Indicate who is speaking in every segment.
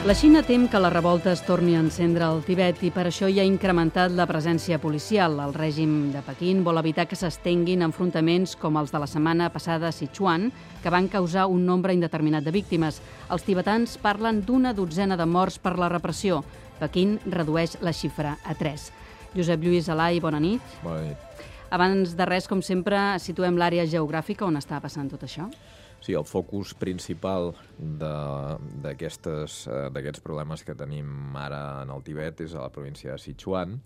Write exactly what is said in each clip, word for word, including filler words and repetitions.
Speaker 1: La Xina tem que la revolta es torni a encendre al Tibet i per això hi ha incrementat la presència policial. El règim de Pequín vol evitar que s'estenguin enfrontaments com els de la setmana passada a Sichuan, que van causar un nombre indeterminat de víctimes. Els tibetans parlen d'una dotzena de morts per la repressió. Pequín redueix la xifra a tres. Josep Lluís Alai, bona nit.
Speaker 2: Bona nit.
Speaker 1: Abans de res, com sempre, situem l'àrea geogràfica on està passant tot això.
Speaker 2: Sí, el focus principal d'aquests problemes que tenim ara en el Tibet és a la província de Sichuan.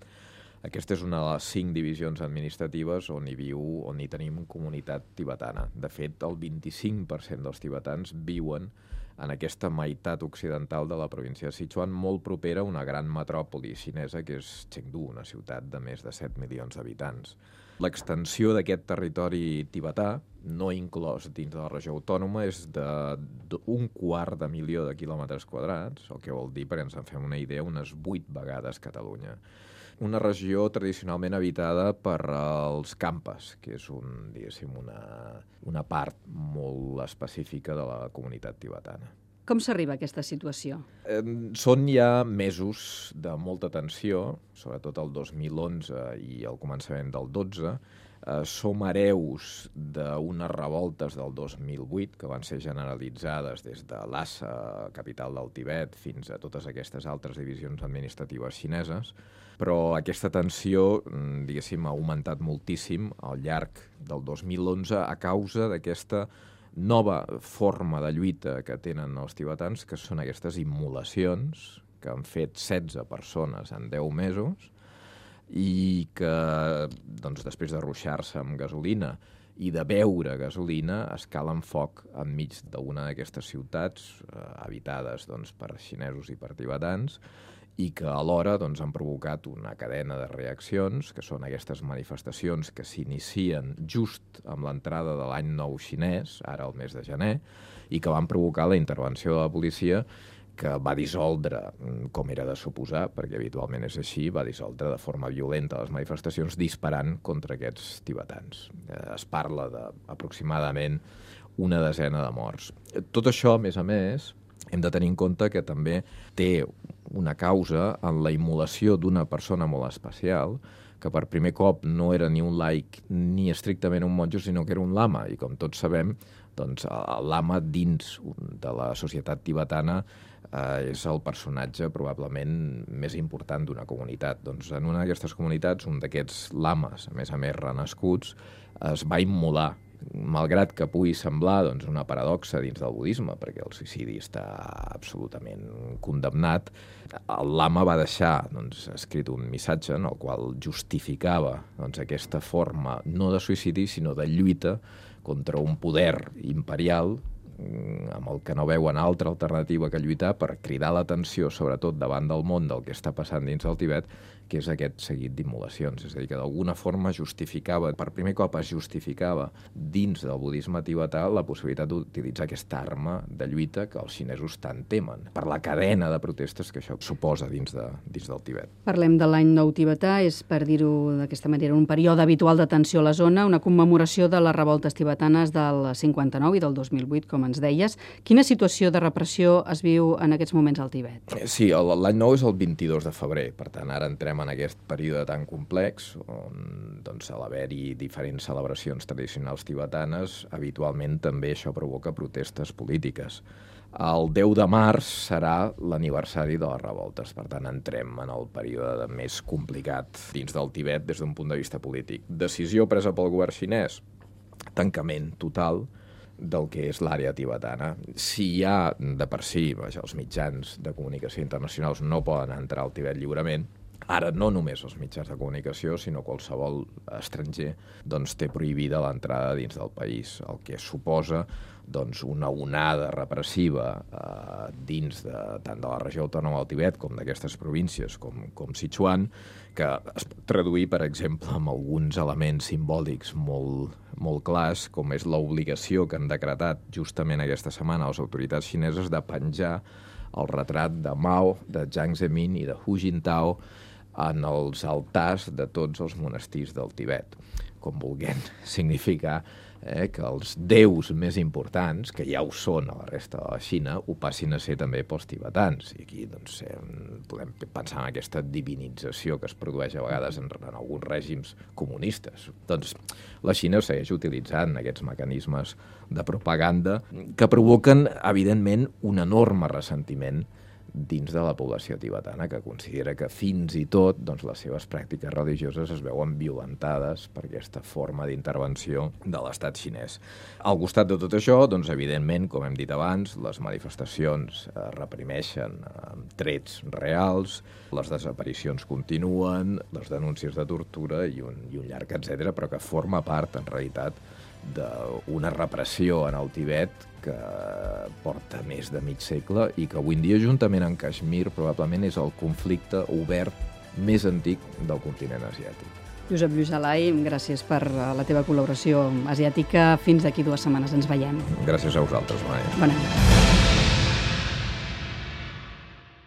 Speaker 2: Aquesta és una de les cinc divisions administratives on hi viu, on hi tenim comunitat tibetana. De fet, el vint-i-cinc per cent dels tibetans viuen en aquesta meitat occidental de la província de Sichuan, molt propera a una gran metròpoli xinesa, que és Chengdu, una ciutat de més de set milions d'habitants. L'extensió d'aquest territori tibetà, no inclòs dins de la regió autònoma, és d'un quart de milió de quilòmetres quadrats, el que vol dir, perquè ens en fem una idea, unes vuit vegades Catalunya. Una regió tradicionalment habitada per els Khampas, que és un, diguéssim, una, una part molt específica de la comunitat tibetana.
Speaker 1: Com s'arriba a aquesta situació?
Speaker 2: Eh, són ja mesos de molta tensió, sobretot el dos mil onze i el començament del dotze. Eh, som hereus d'unes revoltes del dos mil vuit que van ser generalitzades des de Lhasa, capital del Tibet, fins a totes aquestes altres divisions administratives xineses. Però aquesta tensió, diguéssim, ha augmentat moltíssim al llarg del dos mil onze a causa d'aquesta nova forma de lluita que tenen els tibetans, que són aquestes immolacions que han fet setze persones en deu mesos i que, doncs, després de ruixar-se amb gasolina i de beure gasolina, es calen foc enmig d'una d'aquestes ciutats eh, habitades, doncs, per xinesos i per tibetans, i que alhora, doncs, han provocat una cadena de reaccions, que són aquestes manifestacions que s'inicien just amb l'entrada de l'any nou xinès, ara al mes de gener, i que van provocar la intervenció de la policia, que va dissoldre, com era de suposar, perquè habitualment és així, va dissoldre de forma violenta les manifestacions disparant contra aquests tibetans. Es parla d'aproximadament una desena de morts. Tot això, a més a més, hem de tenir en compte que també té una causa en la immolació d'una persona molt especial, que per primer cop no era ni un laic ni estrictament un monjo, sinó que era un lama. I com tots sabem, doncs, el lama dins de la societat tibetana eh, és el personatge probablement més important d'una comunitat. Doncs en una d'aquestes comunitats, un d'aquests lames, a més a més renascuts, es va immolar. Malgrat que pugui semblar, doncs, una paradoxa dins del budisme, perquè el suïcidi està absolutament condemnat, el lama va deixar, doncs, escrit un missatge en el qual justificava, doncs, aquesta forma no de suïcidi, sinó de lluita contra un poder imperial amb el que no veuen altra alternativa que lluitar per cridar l'atenció, sobretot davant del món del que està passant dins del Tibet, que és aquest seguit d'immolacions. És a dir, que d'alguna forma justificava, per primer cop es justificava dins del budisme tibetà la possibilitat d'utilitzar aquesta arma de lluita que els xinesos tant temen, per la cadena de protestes que això suposa dins, de, dins del Tibet.
Speaker 1: Parlem de l'any nou tibetà, és, per dir-ho d'aquesta manera, un període habitual de tensió a la zona, una commemoració de les revoltes tibetanes del cinquanta nou i del dos mil vuit, com ens deies. Quina situació de repressió es viu en aquests moments al Tibet?
Speaker 2: Sí, l'any nou és el vint-i-dos de febrer, per tant, ara entrem en aquest període tan complex, on, doncs, a l'haver-hi diferents celebracions tradicionals tibetanes, habitualment també això provoca protestes polítiques. El deu de març serà l'aniversari de les revoltes, per tant, entrem en el període més complicat dins del Tibet des d'un punt de vista polític. Decisió presa pel govern xinès, tancament total del que és l'àrea tibetana. Si hi ha, de per si, vaja, els mitjans de comunicació internacionals no poden entrar al Tibet lliurement, ara no només els mitjans de comunicació, sinó qualsevol estranger, doncs, té prohibida l'entrada dins del país, el que suposa, doncs, una onada repressiva eh, dins de, tant de la regió autònoma del Tibet com d'aquestes províncies com, com Sichuan, que es pot traduir, per exemple, amb alguns elements simbòlics molt, molt clars, com és l'obligació que han decretat justament aquesta setmana les autoritats xineses de penjar el retrat de Mao, de Jiang Zemin i de Hu Jintao en els altars de tots els monestirs del Tibet. com vulguem significar, eh, que els déus més importants, que ja ho són a la resta de la Xina, ho passin a ser també pels tibetans. I aquí doncs, eh, podem pensar en aquesta divinització que es produeix a vegades en, en alguns règims comunistes. Doncs la Xina segueix utilitzant aquests mecanismes de propaganda que provoquen, evidentment, un enorme ressentiment dins de la població tibetana, que considera que fins i tot doncs, les seves pràctiques religioses es veuen violentades per aquesta forma d'intervenció de l'estat xinès. Al costat de tot això, doncs, evidentment, com hem dit abans, les manifestacions es reprimeixen amb trets reals, les desaparicions continuen, les denúncies de tortura i un, i un llarg etcètera, però que forma part, en realitat, d'una repressió en el Tibet que porta més de mig segle i que avui en dia, juntament amb Caixmir, probablement és el conflicte obert més antic del continent asiàtic.
Speaker 1: Josep Lluís Alay, gràcies per la teva col·laboració asiàtica. Fins d'aquí dues setmanes ens veiem.
Speaker 2: Gràcies a vosaltres, Maia.
Speaker 1: Bona nit.